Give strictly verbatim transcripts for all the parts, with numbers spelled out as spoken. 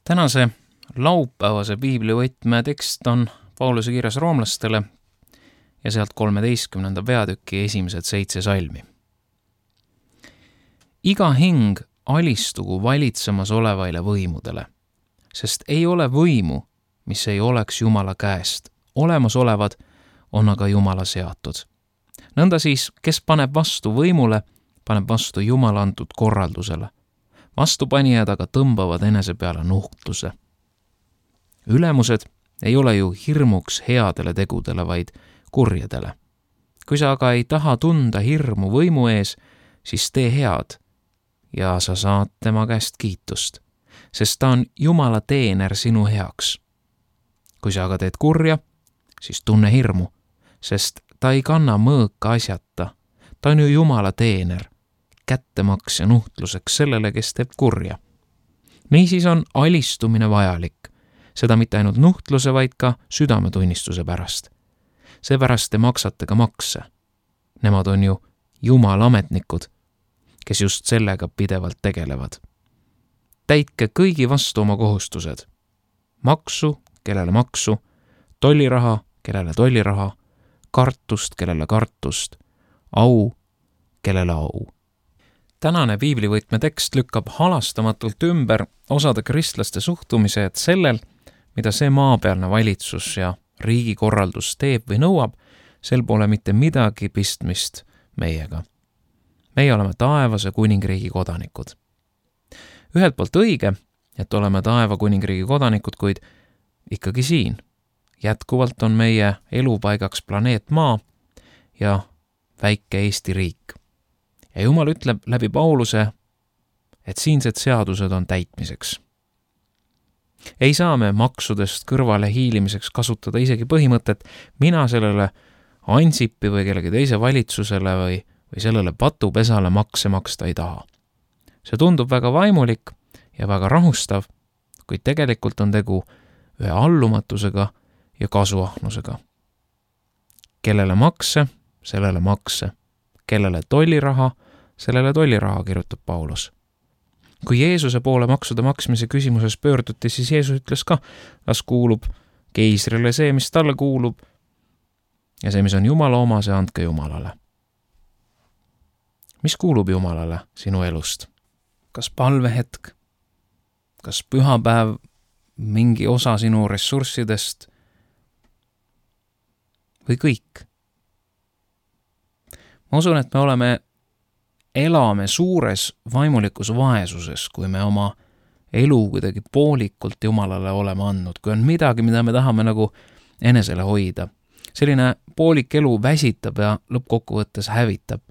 Tänase laupäevase piiblivõtme tekst on Pauluse kirjas roomlastele ja sealt kolmeteistkümnenda peatüki esimesed seitse salmi. Iga hing alistugu valitsemas olevaile võimudele, sest ei ole võimu, mis ei oleks Jumala käest. Olemasolevad on aga Jumala seatud. Nõnda siis, kes paneb vastu võimule, paneb vastu Jumala antud korraldusele. Vastupanijad aga tõmbavad enese peale nuhtluse. Ülemused ei ole ju hirmuks headele tegudele, vaid kurjadele. Kui sa aga ei taha tunda hirmu võimu ees, siis tee head ja sa saad tema käest kiitust, sest ta on Jumala teener sinu heaks. Kui sa aga teed kurja, siis tunne hirmu, sest ta ei kanna mõõka asjata. Ta on ju Jumala teener, kättemaks ja nuhtluseks sellele, kes teeb kurja. Niisiis on alistumine vajalik, seda mitte ainult nuhtluse, vaid ka südametunnistuse pärast. Seepärast te maksate ka makse. Nemad on ju Jumala ametnikud, kes just sellega pidevalt tegelevad. Täitke kõigi vastu oma kohustused. Maksu, kellele maksu, tolliraha, kellele tolliraha, kartust, kellele kartust, au, kellele au. Tänane piiblivõtme tekst lükkab halastamatult ümber osade kristlaste suhtumise, et sellel, mida see maapealne valitsus ja riigikorraldus teeb või nõuab, sel pole mitte midagi pistmist meiega. Meie oleme taevase kuningriigi kodanikud. Ühelt poolt õige, et oleme taeva kuningriigi kodanikud, kuid ikkagi siin. Jätkuvalt on meie elupaigaks planeet Maa ja väike Eesti riik. Ja Jumal ütleb läbi Pauluse, et siinsed seadused on täitmiseks. Ei saa me maksudest kõrvale hiilimiseks kasutada isegi põhimõtet, mina sellele Ansipi või kellegi teise valitsusele või, või sellele patupesale makse maksta ei taha. See tundub väga vaimulik ja väga rahustav, kuid tegelikult on tegu ühe allumatusega ja kasuahnusega. Kellele makse, sellele makse. Kellele tolliraha, sellele tolliraha, kirjutab Paulus. Kui Jeesuse poole maksude maksmise küsimuses pöörduti, siis Jeesus ütles ka, las kuulub keisrile see, mis talle kuulub, ja see, mis on Jumala oma, see andke Jumalale. Mis kuulub Jumalale sinu elust? Kas palvehetk? Kas pühapäev, mingi osa sinu ressurssidest või kõik? Ma usun, et me oleme, elame suures vaimulikus vaesuses, kui me oma elu kuidagi poolikult Jumalale oleme andnud, kui on midagi, mida me tahame nagu enesele hoida. Selline poolik elu väsitab ja lõppkokkuvõttes hävitab.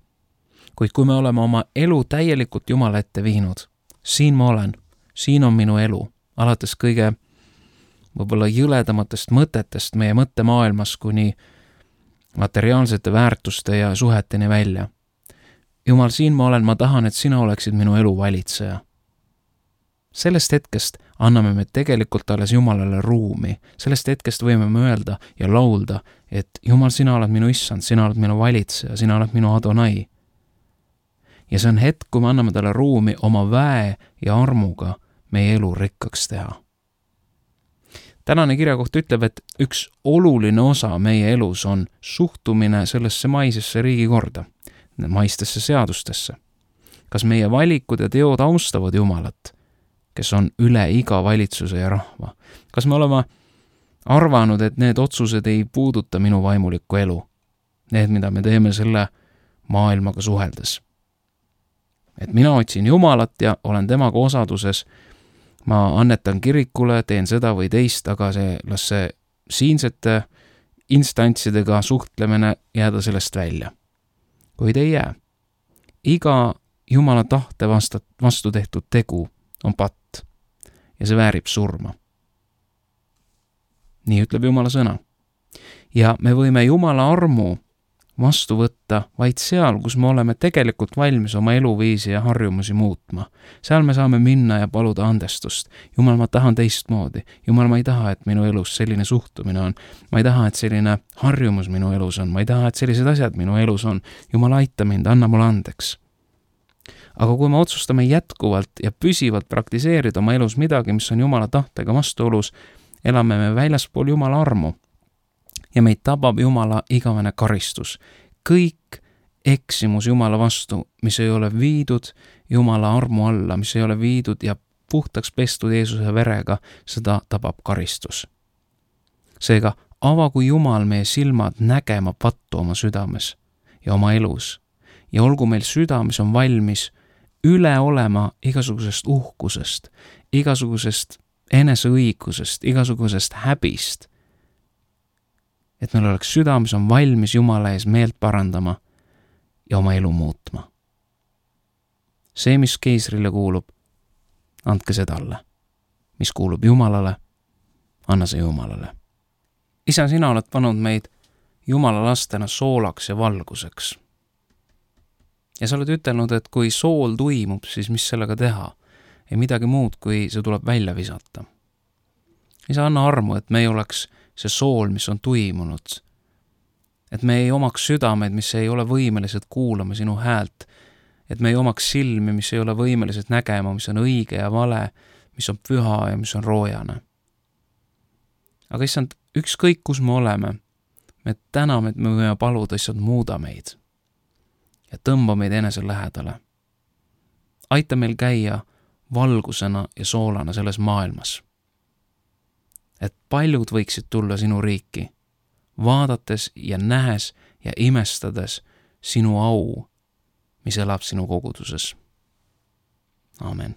Kuid kui me oleme oma elu täielikult Jumala ette viinud, siin ma olen, siin on minu elu, alates kõige võib-olla jõledamatest mõtetest meie mõttemaailmas kuni materiaalsete väärtuste ja suheteni välja. Jumal, siin ma olen, ma tahan, et sina oleksid minu elu valitseja. Sellest hetkest anname me tegelikult alles Jumalale ruumi. Sellest hetkest võime me öelda ja laulda, et Jumal, sina oled minu issand, sina oled minu valitseja, sina oled minu Adonai. Ja see on hetk, kui me anname talle ruumi oma väe ja armuga meie elu rikkaks teha. Tänane kirjakoht ütleb, et üks oluline osa meie elus on suhtumine sellesse maisesse riigikorda, maistesse seadustesse. Kas meie valikud ja teod austavad Jumalat, kes on üle iga valitsuse ja rahva? Kas me oleme arvanud, et need otsused ei puuduta minu vaimulikku elu? Need, mida me teeme selle maailmaga suheldes. Et mina otsin Jumalat ja olen temaga osaduses, ma annetan kirikule, teen seda või teist, aga see, las see siinsete instantsidega suhtlemine jääda sellest välja. Kuid ei jää. Iga Jumala tahte vastu, vastu tehtud tegu on patt ja see väärib surma. Nii ütleb Jumala sõna. Ja me võime Jumala armu vastu võtta vaid seal, kus me oleme tegelikult valmis oma eluviisi ja harjumusi muutma. Seal me saame minna ja paluda andestust. Jumal, ma tahan teistmoodi. Jumal, ma ei taha, et minu elus selline suhtumine on. Ma ei taha, et selline harjumus minu elus on. Ma ei taha, et sellised asjad minu elus on. Jumal, aita mind, anna mulle andeks. aga kui me otsustame jätkuvalt ja püsivalt praktiseerida oma elus midagi, mis on Jumala tahtega vastuolus, elame me väljaspool Jumala armu ja meid tabab Jumala igavene karistus. Kõik eksimus Jumala vastu, mis ei ole viidud Jumala armu alla, mis ei ole viidud ja puhtaks pestud Jeesuse verega, seda tabab karistus. Seega avagu Jumal meie silmad nägema pattu oma südames ja oma elus ja olgu meil süda, mis on valmis üle olema igasugusest uhkusest, igasugusest eneseõigusest, igasugusest häbist, et meil oleks süda, mis on valmis Jumala ees meelt parandama ja oma elu muutma. See, mis keisrile kuulub, andke see talle. Mis kuulub Jumalale, anna see Jumalale. Isa, sina oled pannud meid Jumala lastena soolaks ja valguseks. Ja sa oled ütelnud, et kui sool tuimub, siis mis sellega teha? Ei midagi muud, kui see tuleb välja visata. Isa, anna armu, et me ei oleks see sool, mis on tuimunud. Et me ei omaks südameid, mis ei ole võimelised kuulama sinu häält. Et me ei omaks silmi, mis ei ole võimelised nägema, mis on õige ja vale, mis on püha ja mis on roojane. Aga issand, ükskõik kus me oleme, me täname, et me võime paluda, issand, muuda meid ja tõmba meid enese lähedale. Aita meil käia valgusena ja soolana selles maailmas. Et paljud võiksid tulla sinu riiki, vaadates ja nähes ja imestades sinu au, mis elab sinu koguduses. Amen.